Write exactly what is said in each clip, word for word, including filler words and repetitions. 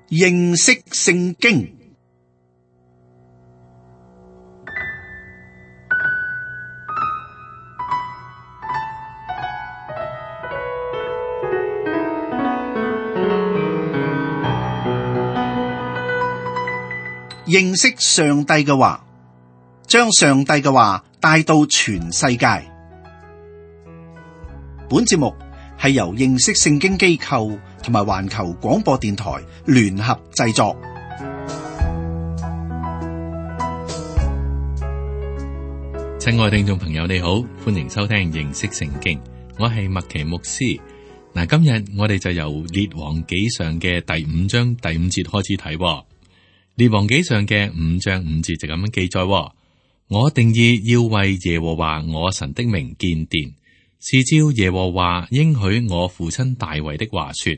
認識聖經。認識上帝嘅話，將上帝嘅話帶到全世界。本節目係由認識聖經機構同埋環球廣播電台聯合製作。親愛聽眾朋友，你好，歡迎收聽認識聖經，我係麥奇牧師。嗱，今日我哋就由列王紀上嘅第五章第五節開始睇。列王紀上嘅五章五節就咁樣記載：我定意要為耶和華我神的名建殿，是照耶和華應許我父親大衛的話說，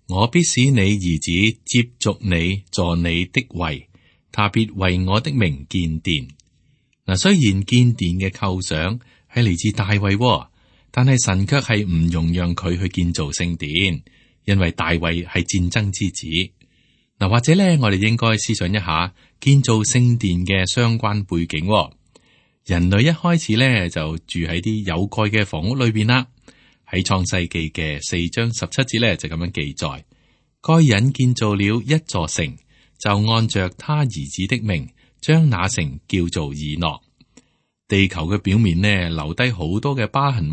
我必使你兒子接續你坐你的位，他必為我的名建殿。嗱，雖然建殿嘅構想係嚟自大衛，但係神卻係唔容讓佢去建造聖殿，因為大衛係戰爭之子。嗱，或者咧，我哋應該思想一下建造聖殿嘅相關背景。人類一開始咧就住喺啲有蓋嘅房屋裏邊啦。喺創世記嘅四章十七節咧就咁樣記載：該人建造了一座城，就按着他兒子的名，將那城叫做以諾。地球嘅表面呢，留低好多嘅疤痕，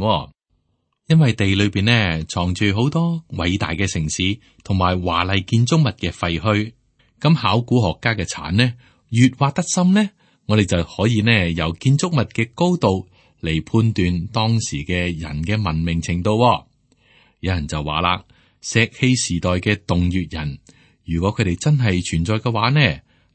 因為地裏邊呢藏住好多偉大嘅城市同埋華麗建築物嘅廢墟。咁考古學家嘅鏟呢，越挖得深呢，我哋就可以呢由建築物嘅高度嚟判斷當時嘅人嘅文明程度。有人就話啦，石器時代嘅洞穴人，如果佢哋真係存在嘅話呢，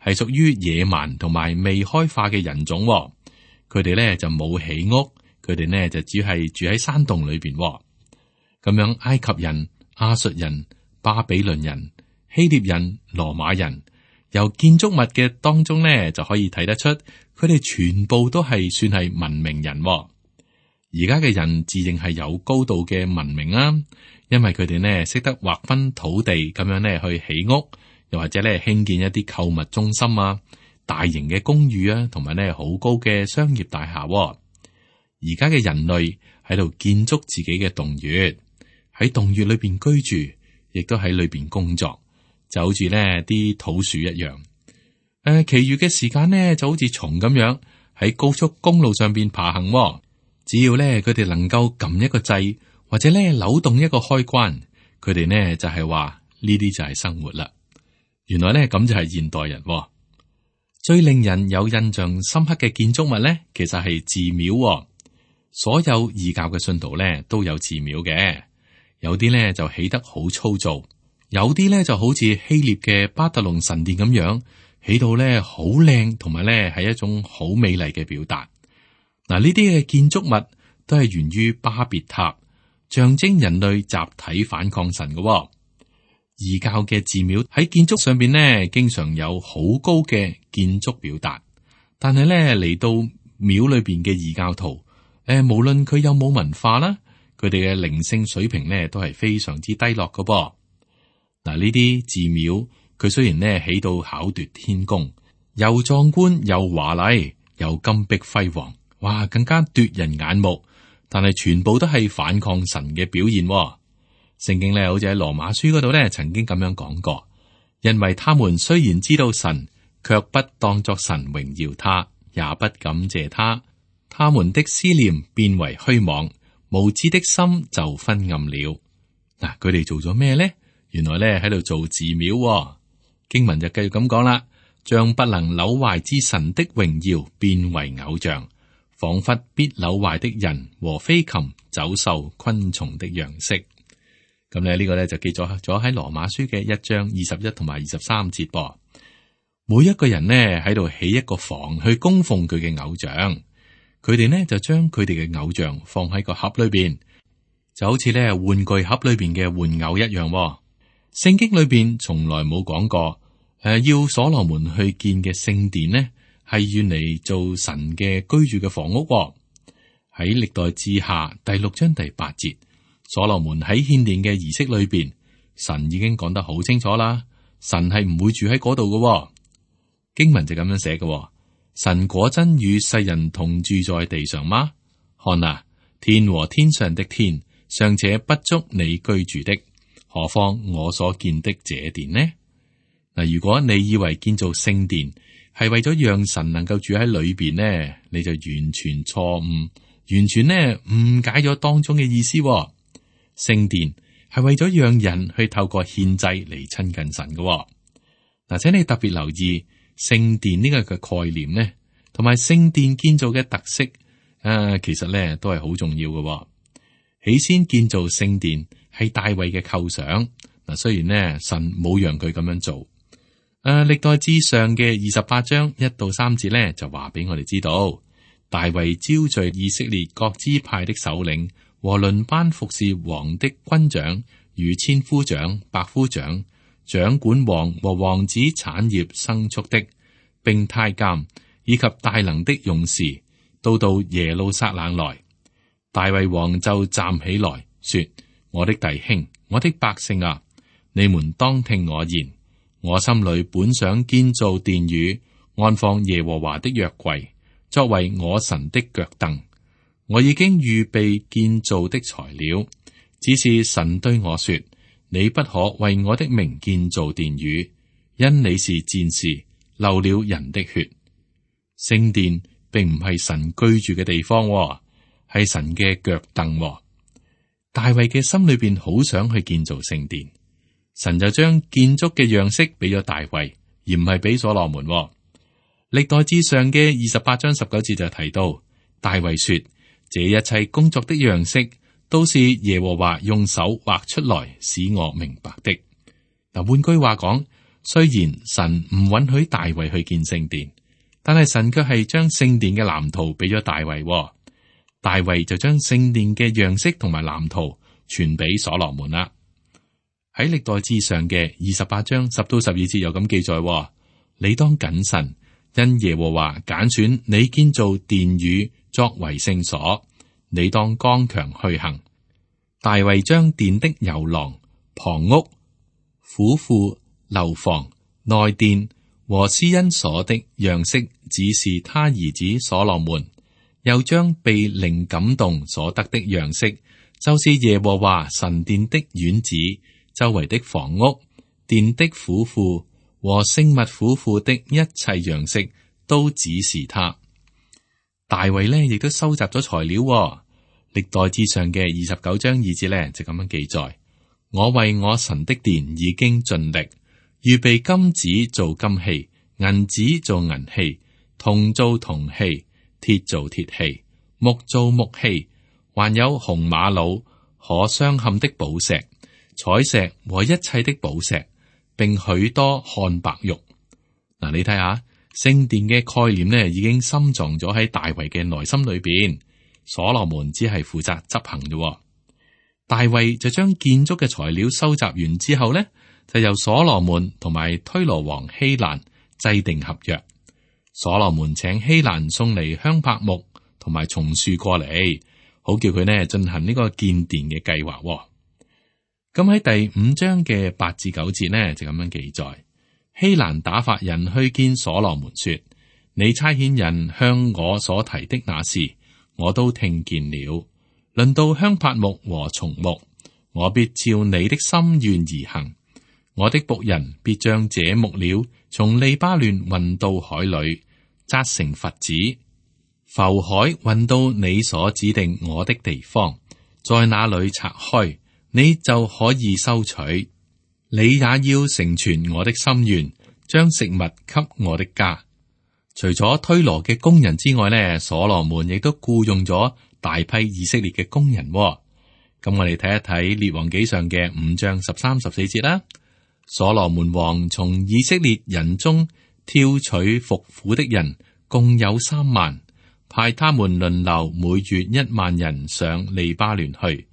係屬於野蠻同埋未開化嘅人種。佢哋呢就冇起屋。佢哋呢就只係住喺山洞裏邊，咁樣埃及人、亞述人、巴比倫人、希臘人、羅馬人，由建築物嘅當中呢就可以睇得出，佢哋全部都係算係文明人。而家嘅人自認係有高度嘅文明啦，因為佢哋呢識得劃分土地，咁樣呢去起屋，又或者呢興建一啲購物中心啊、大型嘅公寓啊，同埋呢好高嘅商業大廈。而家嘅人類喺度建築自己嘅洞穴，喺洞穴裏邊居住，亦都喺裏邊工作，就好似呢啲土鼠一樣。誒、呃，其餘嘅時間呢就好似蟲咁樣喺高速公路上邊爬行。只要呢佢哋能夠撳一個掣，或者呢扭動一個開關，佢哋呢就係話呢啲就係生活啦。原來呢咁就係現代人。最令人有印象深刻嘅建築物呢，其實係寺廟。所有異教嘅信徒咧都有寺廟嘅，有啲咧就起得好粗糙，有啲咧就好似希臘嘅巴特農神殿咁樣，起到咧好靚，同埋咧係一種好美麗嘅表達。嗱，呢啲嘅建築物都係源於巴別塔，象徵人類集體反抗神嘅。異教嘅寺廟喺建築上邊呢，經常有好高嘅建築表達，但係咧嚟到廟裏邊嘅異教徒。誒，無論佢有冇文化啦，佢哋嘅靈性水平咧都係非常之低落嘅噃。嗱，呢啲寺廟佢雖然咧起到巧奪天工，又壯觀又華麗，又金碧輝煌，哇，更加奪人眼目，但係全部都係反抗神嘅表現。聖經咧好似喺羅馬書嗰度咧曾經咁樣講過，因為他們雖然知道神，卻不當作神榮耀他，也不感謝他。他們的思念變為虛妄，無知的心就昏暗了。嗱，佢哋做咗咩呢？原來咧喺度做寺廟。經文就繼續咁講啦，將不能朽壞之神的榮耀變為偶像，仿佛必朽壞的人和飛禽、走獸、昆蟲的樣式。咁咧呢個咧就記咗咗喺羅馬書嘅一章二十一同埋二十三節噃。每一個人呢喺度起一個房去供奉佢嘅偶像。佢哋呢就將佢哋嘅偶像放喺個盒裏邊，就好似咧玩具盒裏邊嘅玩偶一樣。聖經裏邊從來冇講過，誒、呃、要所羅門去建嘅聖殿呢係要嚟做神嘅居住嘅房屋。喺歷代志下第六章第八節，所羅門喺獻殿嘅儀式裏邊，神已經講得好清楚啦。神係唔會住喺嗰度嘅。經文就咁樣寫嘅，神果真與世人同住在地上嗎？看啊，天和天上的天尚且不足你居住的，何況我所見的這殿呢？嗱，如果你以為建造聖殿係為咗讓神能夠住喺裏邊呢，你就完全錯誤，完全呢誤解咗當中嘅意思。聖殿係為咗讓人去透過獻祭嚟親近神嘅。嗱，請你特別留意聖殿呢個嘅概念呢，同埋聖殿建造嘅特色啊，其實呢都係好重要嘅。起先建造聖殿係大衛嘅構想。嗱，雖然呢神冇讓佢咁樣做。誒、啊，歷代志上嘅二十八章一到三節咧，就話俾我哋知道，大衛招聚以色列各支派的首領和輪班服侍王的軍長與千夫長、百夫長、掌管王和王子產業牲畜的，並太監以及大能的勇士，都到耶路撒冷來。大衛王就站起來說：我的弟兄，我的百姓啊，你們當聽我言。我心裏本想建造殿宇，安放耶和華的約櫃，作為我神的腳凳。我已經預備建造的材料，只是神對我說：你不可為我的名建造殿宇，因你是戰士，流了人的血。聖殿並唔係神居住嘅地方，係神嘅腳凳。大衛嘅心裏邊好想去建造聖殿。神就將建築嘅樣式俾咗大衛，而唔係俾所羅門。歷代志上嘅二十八章十九節就提到，大衛說：這一切工作的樣式都是耶和華用手畫出來，使我明白的。嗱，換句話講，雖然神唔允許大衛去建聖殿，但係神卻係將聖殿嘅藍圖俾咗大衛。大衛就將聖殿嘅樣式同埋藍圖傳俾所羅門啦。喺歷代志上嘅二十八章十到十二節有咁記載：你當謹慎，因耶和華揀選你建造殿宇作為聖所，你當剛強去行。大衛將殿的遊廊、旁屋、府庫、樓房、內殿和施恩所的樣式指示他兒子所羅門，又將被靈感動所得的樣式，就是耶和華神殿的院子、周圍的房屋、殿的府庫和聖物府庫的一切樣式，都指示他。大衛呢亦都收集咗材料。歷代志上嘅二十九章二節呢就咁樣記載：我為我神的殿已經盡力，預備金子做金器，銀子做銀器，銅做銅器，鐵做鐵器，木做木器，還有紅瑪瑙、可鑲嵌的寶石、彩石和一切的寶石，並許多漢白玉。嗱，你睇下聖殿嘅概念呢，已經深藏咗喺大衛嘅內心裏邊。所羅門只係負責執行嘅。大衛就將建築嘅材料收集完之後呢，就由所羅門同埋推羅王希蘭制定合約。所羅門請希蘭送嚟香柏木同埋松樹過嚟，好叫佢呢進行呢個建殿嘅計劃。咁喺第五章嘅八至九節呢，就咁樣記載：希蘭打發人去見所羅門說：你差遣人向我所提的那事，我都聽見了。論到香柏木和松木，我必照你的心願而行。我的僕人必將這木料從利巴嫩運到海裏，紮成佛子，浮海運到你所指定我的地方，在那裏拆開，你就可以收取。你也要成全我的心願，將食物給我的家。除咗推羅嘅工人之外呢，所羅門亦都僱用咗大批以色列嘅工人。咁我哋睇一睇列王紀上嘅五章十三十四節啦。所羅門王從以色列人中挑取服苦的人，共有三萬，派他們輪流每月一萬人上利巴嫩去，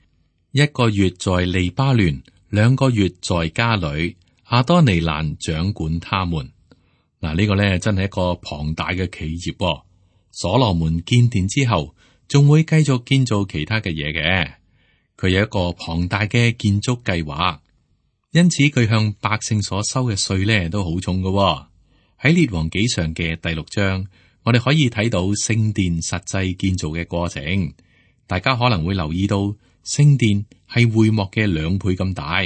一個月在利巴嫩，兩個月在家裏，亞多尼蘭掌管他們。嗱，呢個咧真係一個龐大嘅企業。所羅門建殿之後，仲會繼續建造其他嘅嘢嘅。佢有一個龐大嘅建築計劃。因此佢向百姓所收嘅稅呢都好重嘅。喺列王紀上嘅第六章，我哋可以睇到聖殿實際建造嘅過程。大家可能會留意到，聖殿係會幕嘅兩倍咁大，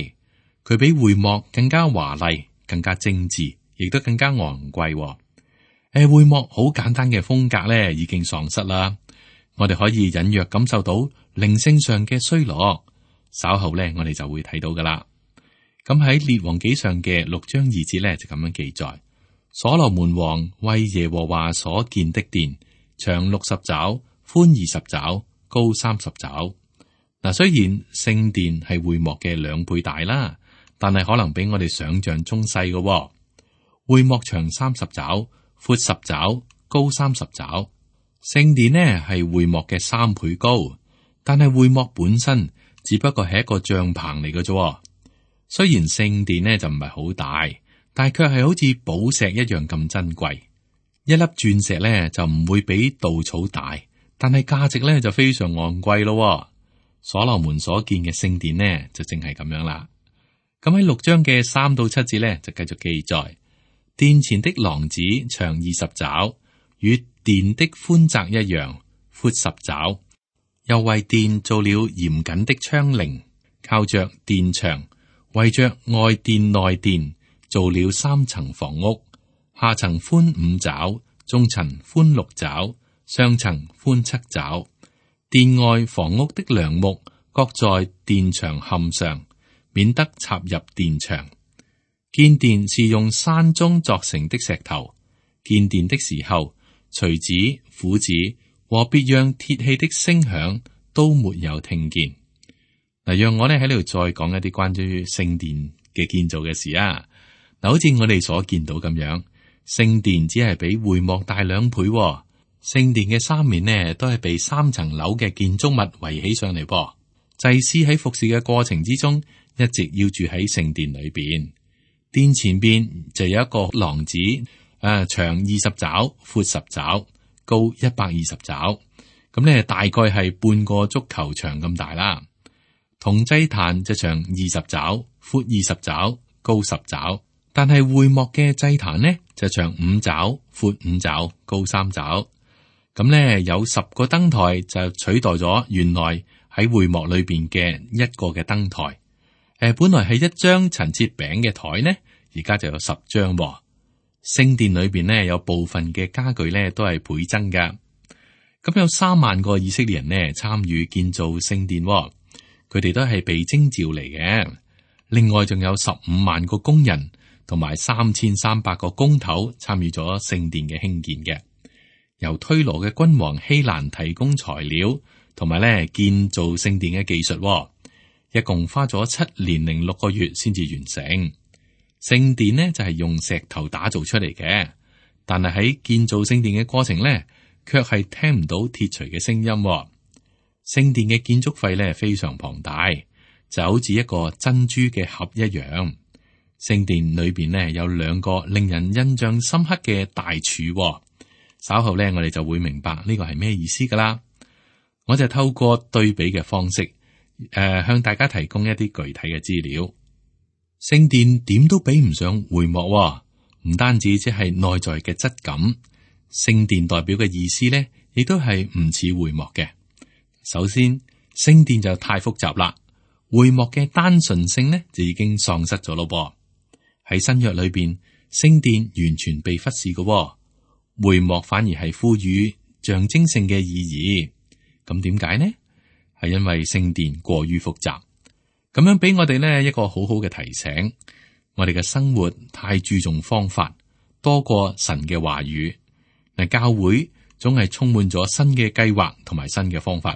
佢比會幕更加華麗、更加精緻，亦都更加昂貴。誒，會幕好簡單嘅風格咧，已經喪失啦。我哋可以隱約感受到靈性上嘅衰落。稍後咧，我哋就會睇到噶啦。咁喺列王紀上嘅六章二節咧，就咁樣記載：所羅門王為耶和華所建的殿，長六十肘，寬二十肘，高三十肘。嗱，雖然聖殿係會幕嘅兩倍大啦，但係可能比我哋想象中細嘅。會幕長三十肘，闊十肘，高三十肘。聖殿呢係會幕嘅三倍高，但係會幕本身只不過係一個帳篷嚟嘅啫。雖然聖殿呢就唔係好大，但係卻係好似寶石一樣咁珍貴。一粒鑽石呢就唔會比稻草大，但係價值呢就非常昂貴咯。所羅門所建嘅聖殿呢就正係咁樣啦。咁喺六章嘅三到七節呢就繼續記載：殿前的廊子長二十肘，與殿的寬窄一樣，闊十肘。又為殿做了嚴謹的窗棂，靠着殿牆，圍着外殿內殿，做了三層房屋，下層寬五肘，中層寬六肘，上層寬七肘。殿外房屋的梁木各在殿牆坎上，免得插入殿牆。建殿是用山中鑿成的石頭。建殿的時候，錘子、斧子和別樣鐵器的聲響都沒有聽見。嗱，讓我咧喺呢度再講一啲關於聖殿嘅建造嘅事啊。嗱，好似我哋所見到咁樣，聖殿只係比會幕大兩倍。聖殿嘅三面呢，都係被三層樓嘅建築物圍起上嚟噃。祭司喺服侍嘅過程之中，一直要住喺聖殿裏邊。殿前邊就有一個廊子，誒、呃，長二十肘，闊十肘，高一百二十肘。咁呢，大概係半個足球場咁大啦。銅祭壇就長二十肘，闊二十肘，高十肘。但係會幕嘅祭壇呢，就長五肘，闊五肘，高三肘。咁咧有十個燈台就取代咗原來喺會幕裏邊嘅一個嘅燈台。誒、呃，本來係一張陳設餅嘅台呢，而家就有十張。聖殿裏邊呢，有部分嘅家具咧都係倍增㗎。咁有三萬個以色列人呢參與建造聖殿，佢哋都係被徵召嚟嘅。另外仲有十五萬個工人同埋三千三百個工頭參與咗聖殿嘅興建嘅。由推羅嘅君王希蘭提供材料，同埋咧建造聖殿嘅技術，一共花咗七年零六個月先至完成。聖殿呢就係用石頭打造出嚟嘅，但係喺建造聖殿嘅過程呢，卻係聽唔到鐵錘嘅聲音。聖殿嘅建築費呢非常龐大，就好似一個珍珠嘅盒一樣。聖殿裏邊呢有兩個令人印象深刻嘅大柱。稍後咧，我哋就會明白呢個係咩意思噶啦。我就透過對比嘅方式，誒、呃，向大家提供一啲具體嘅資料。聖殿點都比唔上會幕，唔單止即係內在嘅質感，聖殿代表嘅意思咧，亦都係唔似會幕嘅。首先，聖殿就太複雜啦，會幕嘅單純性呢，就已經喪失咗咯。噃喺新約裏邊，聖殿完全被忽視嘅。會幕反而係賦予象徵性嘅意義，咁點解呢？係因為聖殿過於複雜，咁樣俾我哋呢一個好好嘅提醒。我哋嘅生活太注重方法，多過神嘅話語。嗱，教會總係充滿咗新嘅計劃同埋新嘅方法。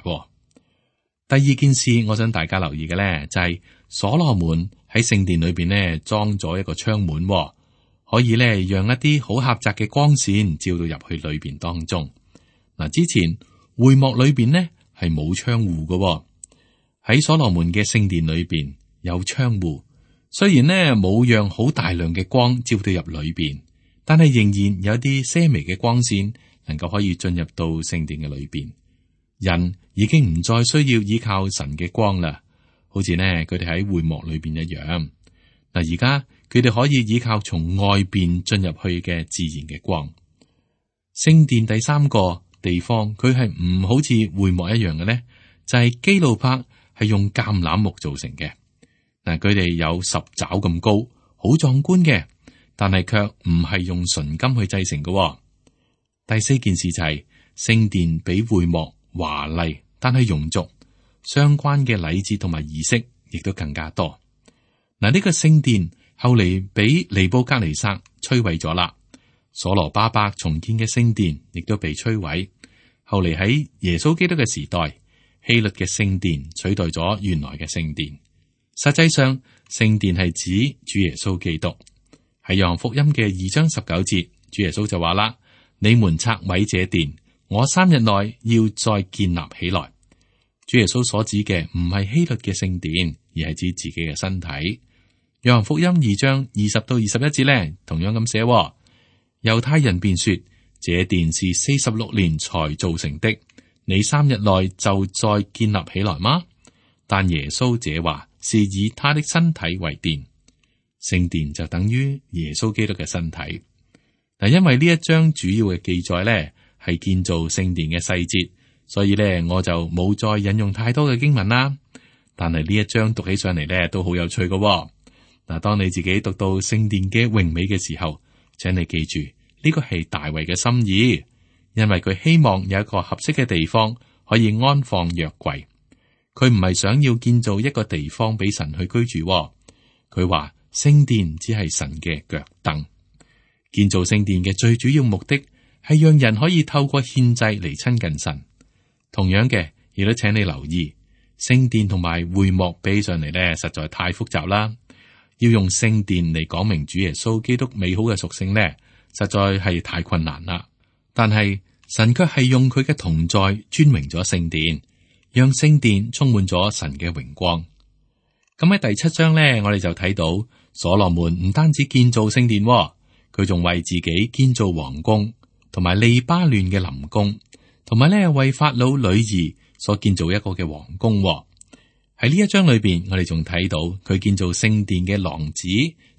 第二件事，我想大家留意嘅咧，就係所羅門喺聖殿裏邊呢裝咗一個窗門。可以咧，讓一啲好狹窄嘅光線照到入去裏邊當中。嗱，之前會幕裏邊呢係冇窗戶嘅，喺所羅門嘅聖殿裏邊有窗戶。雖然呢冇讓好大量嘅光照到入裏邊，但係仍然有啲些微嘅光線能夠可以進入到聖殿嘅裏邊。人已經唔再需要依靠神嘅光啦，好似呢佢哋喺會幕裏邊一樣。嗱，而家佢哋可以依靠從外邊進入去嘅自然嘅光。聖殿第三個地方，佢係唔好似會幕一樣嘅呢，就係基路伯係用橄欖木造成嘅。嗱，佢哋有十爪咁高，好壯觀嘅，但係卻唔係用純金去製成嘅。第四件事就係、是、聖殿比會幕華麗，但係庸俗，相關嘅禮節同埋儀式亦都更加多。嗱，呢個聖殿後嚟俾尼布甲尼撒摧毀咗啦。所羅巴伯重建嘅聖殿亦都被摧毀。後嚟喺耶穌基督嘅時代，希律嘅聖殿取代咗原來嘅聖殿。實際上，聖殿係指主耶穌基督。喺約翰福音嘅二章十九節，主耶穌就話啦：你們拆毀這殿，我三日內要再建立起來。主耶穌所指嘅唔係希律嘅聖殿，而係指自己嘅身體。約翰福音二章二十到二十一節呢，同樣咁寫。猶太人便說：這殿是四十六年才造成的，你三日內就再建立起來嗎？但耶穌這話是以他的身體為殿，聖殿就等於耶穌基督嘅身體。嗱，因為呢一章主要嘅記載呢係建造聖殿嘅細節，所以呢我就冇再引用太多嘅經文啦。但係呢一章讀起上嚟呢都好有趣嘅。嗱，當你自己讀到聖殿嘅榮美嘅時候，請你記住，呢個係大衛嘅心意，因為佢希望有一個合適嘅地方可以安放約櫃。佢唔係想要建造一個地方俾神去居住，佢話聖殿只係神嘅腳凳。建造聖殿嘅最主要目的係讓人可以透過獻祭嚟親近神。同樣嘅，亦都請你留意，聖殿同埋會幕比上嚟咧，實在太複雜啦。要用聖殿嚟講明主耶穌基督美好嘅屬性呢，實在係太困難啦。但係神卻係用佢嘅同在尊榮咗聖殿，讓聖殿充滿咗神嘅榮光。咁喺第七章呢，我哋就睇到所羅門唔單止建造聖殿，佢仲為自己建造王宮，同埋利巴嫩嘅林宮，同埋咧為法老女兒所建造一個嘅王宮。喺呢一章裏邊，我哋仲睇到佢建造聖殿嘅廊子、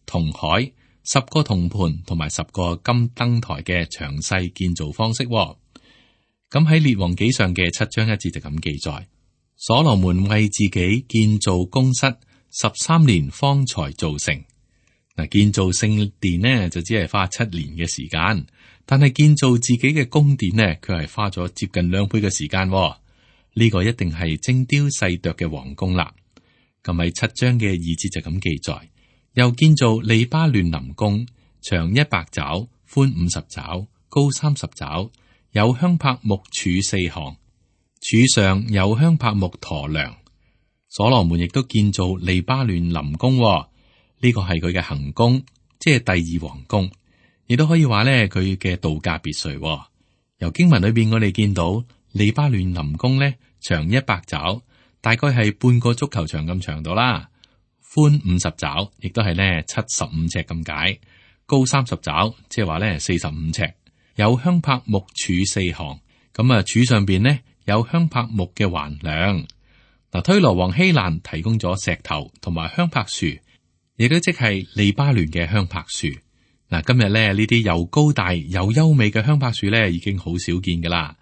銅海、十個銅盤同埋十個金燈台嘅詳細建造方式。咁喺列王紀上嘅七章一節就咁記載：所羅門為自己建造宮室十三年方才造成。嗱，建造聖殿呢就只係花七年嘅時間，但係建造自己嘅宮殿呢，佢係花咗接近兩倍嘅時間。呢個一定係精雕細琢嘅皇宮啦。咁喺七章嘅二節就咁記載，又建造利巴嫩林宮，長一百肘，寬五十肘，高三十肘，有香柏木柱四行，柱上有香柏木駝梁。所羅門亦都建造利巴嫩林宮，呢個係佢嘅行宮，即係第二皇宮，亦都可以話咧佢嘅度假別墅。由經文裏邊我哋見到。利巴嫩林宮咧長一百肘，大概係半個足球場咁長度啦。寬五十肘，亦都係咧七十五尺咁解。高三十肘，即係話咧四十五尺。有香柏木柱四行，咁啊柱上邊呢有香柏木嘅橫梁。嗱，推羅王希蘭提供咗石頭同埋香柏樹，亦都即係利巴嫩嘅香柏樹。嗱，今日咧呢啲又高大又優美嘅香柏樹咧，已經好少見噶啦。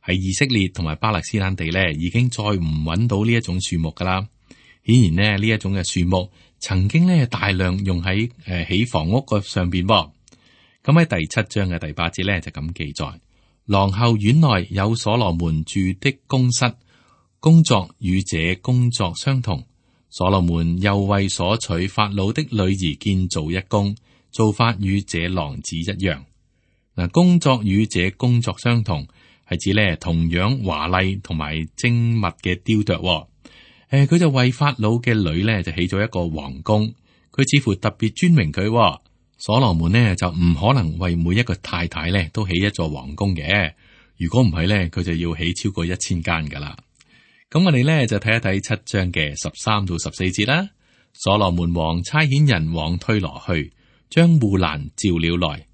喺以色列同埋巴勒斯坦地咧，已經再唔揾到呢一種樹木噶啦。顯然呢，呢一種嘅樹木曾經咧大量用喺誒起房屋個上邊。咁喺第七章嘅第八節咧就咁記載：廊後院內有所羅門住的宮室，工作與這工作相同。所羅門又為所娶法老的女兒建造一宮，做法與這廊子一樣。嗱，工作與這工作相同。係指咧同樣華麗同埋精密嘅雕琢。誒、呃，佢就為法老嘅女咧就起咗一個皇宮，佢似乎特別尊榮佢。所羅門呢就唔可能為每一個太太咧都起一座皇宮嘅，如果唔係咧，佢就要起超過一千間噶啦。咁我哋咧就睇一睇七章嘅十三到十四節啦。所羅門王差遣人往推羅去，將戶蘭召了來。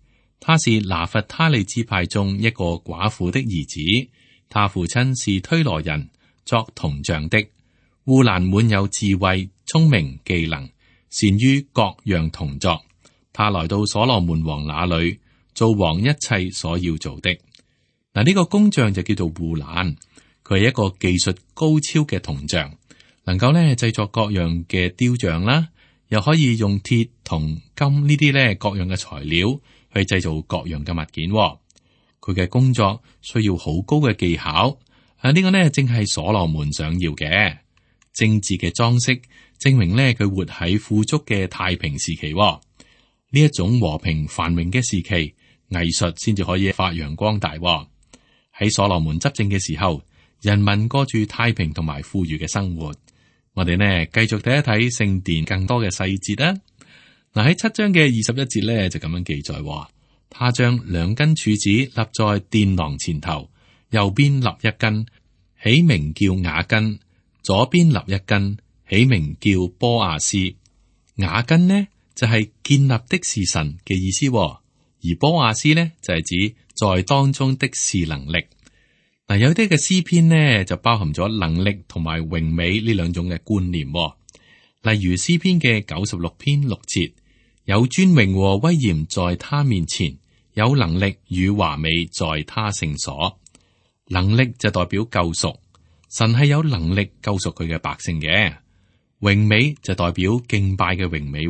他是拿弗他利支派中一個寡婦的兒子，他父親是推羅人，作銅匠的。戶蘭滿有智慧、聰明、技能，善於各樣銅作。他來到所羅門王那裏，做王一切所要做的。嗱，呢個工匠就叫做戶蘭，佢係一個技術高超嘅銅匠，能夠咧製作各樣嘅雕像啦，又可以用鐵、銅、金呢啲咧各樣嘅材料去製造各樣嘅物件。佢嘅工作需要好高嘅技巧，啊，呢個呢正係所羅門想要嘅精緻嘅裝飾，證明咧佢活喺富足嘅太平時期。呢一種和平繁榮嘅時期，藝術先至可以發揚光大。喺所羅門執政嘅時候，人民過住太平同埋富裕嘅生活。我哋呢繼續睇一睇聖殿更多嘅細節啦。嗱，喺七章嘅二十一節咧就咁樣記載，他將兩根柱子立在殿廊前頭，右邊立一根，起名叫雅根；左邊立一根，起名叫波亞斯。雅根呢就係、是、建立的是神嘅意思，而波亞斯呢就係、是、指在當中的是能力。嗱，有啲嘅詩篇呢就包含咗能力同埋榮美呢兩種嘅觀念。例如詩篇嘅九十六篇六節，有尊榮和威嚴在他面前，有能力與華美在他聖所。能力就代表救贖，神係有能力救贖佢嘅百姓嘅。榮美就代表敬拜嘅榮美。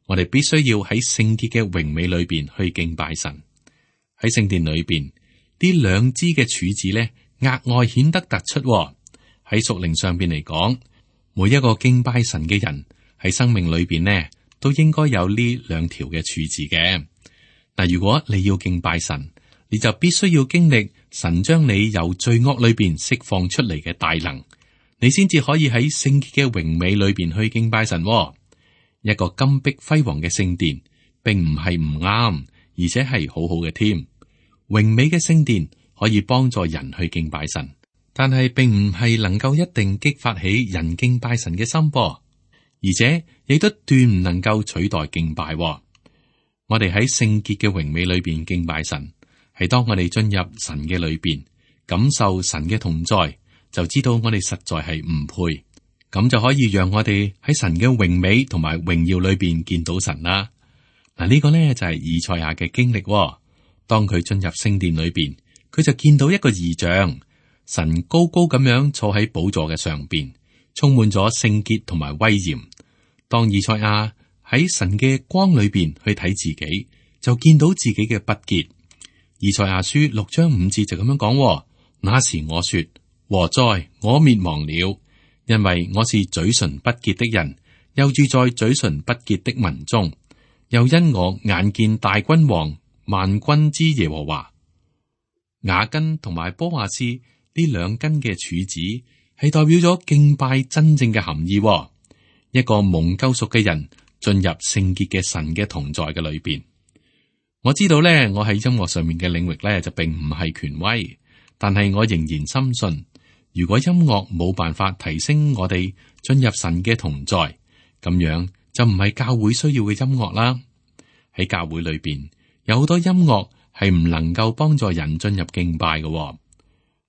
我哋必須要喺聖潔嘅榮美裏邊去敬拜神。喺聖殿裏邊，呢兩支嘅柱子咧，額外顯得突出。喺屬靈上邊嚟講，每一個敬拜神嘅人喺生命裏邊呢，都應該有呢兩條嘅柱子嘅。嗱，如果你要敬拜神，你就必須要經歷神將你由罪惡裏邊釋放出嚟嘅大能，你先至可以喺聖潔嘅榮美裏邊去敬拜神。一個金碧輝煌嘅聖殿，並唔係唔啱，而且係好好嘅添。榮美嘅聖殿可以幫助人去敬拜神，但係並唔係能夠一定激發起人敬拜神嘅心噃，而且亦都斷唔能夠取代敬拜。我哋喺聖潔嘅榮美裏邊敬拜神，係當我哋進入神嘅裏邊，感受神嘅同在，就知道我哋實在係唔配。咁就可以讓我哋喺神嘅榮美同埋榮耀裏邊見到神啦。嗱，呢個呢就係以賽亞嘅經歷。當佢進入聖殿裏邊，佢就見到一個異象，神高高咁樣坐喺寶座嘅上邊，充滿咗聖潔同埋威嚴。當以賽亞喺神嘅光裏邊去睇自己，就見到自己嘅不潔。以賽亞書六章五節就咁樣講：那時我說，禍哉，我滅亡了。因為我是嘴唇不潔的人，又住在嘴唇不潔的民中，又因我眼見大君王萬軍之耶和華。雅根同埋波亞斯呢兩根嘅柱子係代表咗敬拜真正嘅含義。一個蒙救贖嘅人進入聖潔嘅神嘅同在嘅裏邊。我知道咧，我喺音樂上面嘅領域咧就並唔係權威，但係我仍然深信。如果音樂冇辦法提升我哋進入神嘅同在，咁樣就唔係教會需要嘅音樂啦。喺教會裏邊有好多音樂係唔能夠幫助人進入敬拜嘅。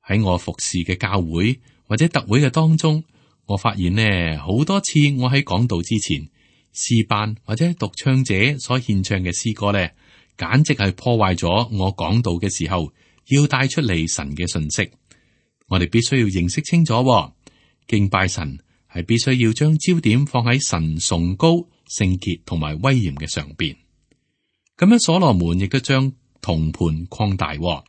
喺我服侍嘅教會或者特會嘅當中，我發現呢好多次我喺講道之前，詩班或者獨唱者所獻唱嘅詩歌呢，簡直係破壞咗我講道嘅時候要帶出嚟神嘅信息。我哋必須要認識清楚，敬拜神係必須要將焦點放喺神崇高、聖潔同埋威嚴嘅上邊。咁樣所羅門亦都將銅盤擴大。咁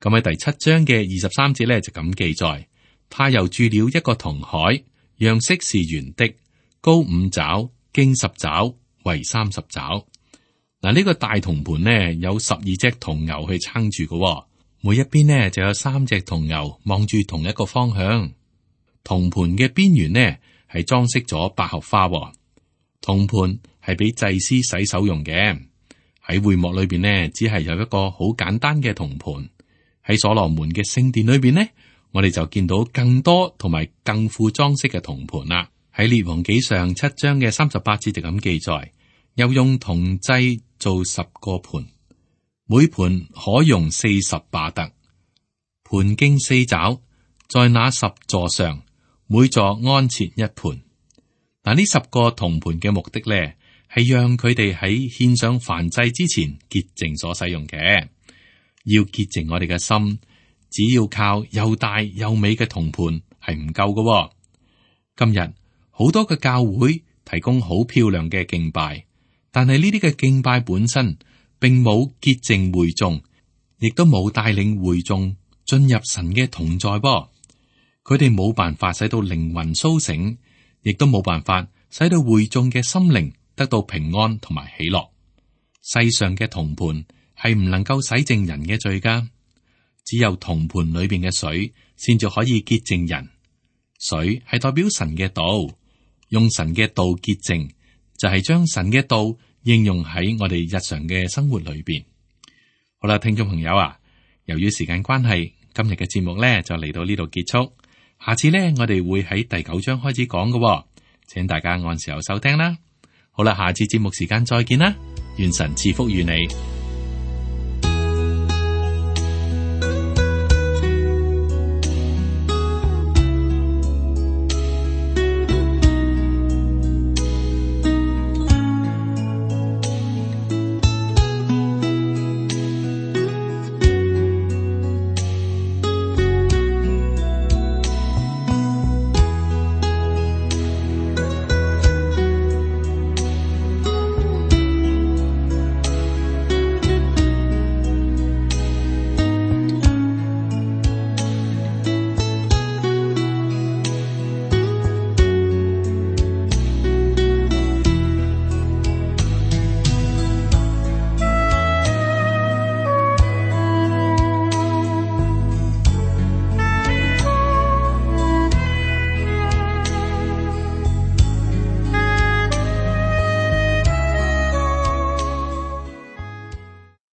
喺第七章嘅二十三節咧就咁記載，他又鑄了一個銅海，樣式是圓的，高五肘，經十肘，圍三十肘。嗱，呢個大銅盤呢，有十二隻銅牛去撐住嘅。每一邊呢就有三隻銅牛望住同一個方向。銅盤嘅邊緣呢係裝飾咗百合花。銅盤係俾祭司洗手用嘅。喺會幕裏邊呢，只係有一個好簡單嘅銅盤。喺所羅門嘅聖殿裏邊呢，我哋就見到更多同埋更富裝飾嘅銅盤啦。喺列王紀上七章嘅三十八節就咁記載，又用銅製做十個盤。每盤可用四十巴特，盤徑四肘，在那十座上，每座安設一盤。嗱，嗱，呢十個銅盤嘅目的咧，係讓佢哋喺獻上燔祭之前潔淨所使用嘅。要潔淨我哋嘅心，只要靠又大又美嘅銅盤係唔夠嘅。今日好多嘅教會提供好漂亮嘅敬拜，但係呢啲嘅敬拜本身並冇潔淨會眾，亦都冇帶領會眾進入神嘅同在噃。佢哋冇辦法使到靈魂甦醒，亦都冇辦法使到會眾嘅心靈得到平安同埋喜樂。世上嘅銅盤係唔能夠洗淨人嘅罪噶，只有銅盤裏邊嘅水先至可以潔淨人。水係代表神嘅道，用神嘅道潔淨，就係將神嘅道應用喺我哋日常嘅生活裏邊。好啦，聽眾朋友啊，由於時間關係，今日嘅節目咧就嚟到呢度結束。下次咧，我哋會喺第九章開始講嘅，請大家按時候收聽啦。好啦，下次節目時間再見啦，願神賜福於你。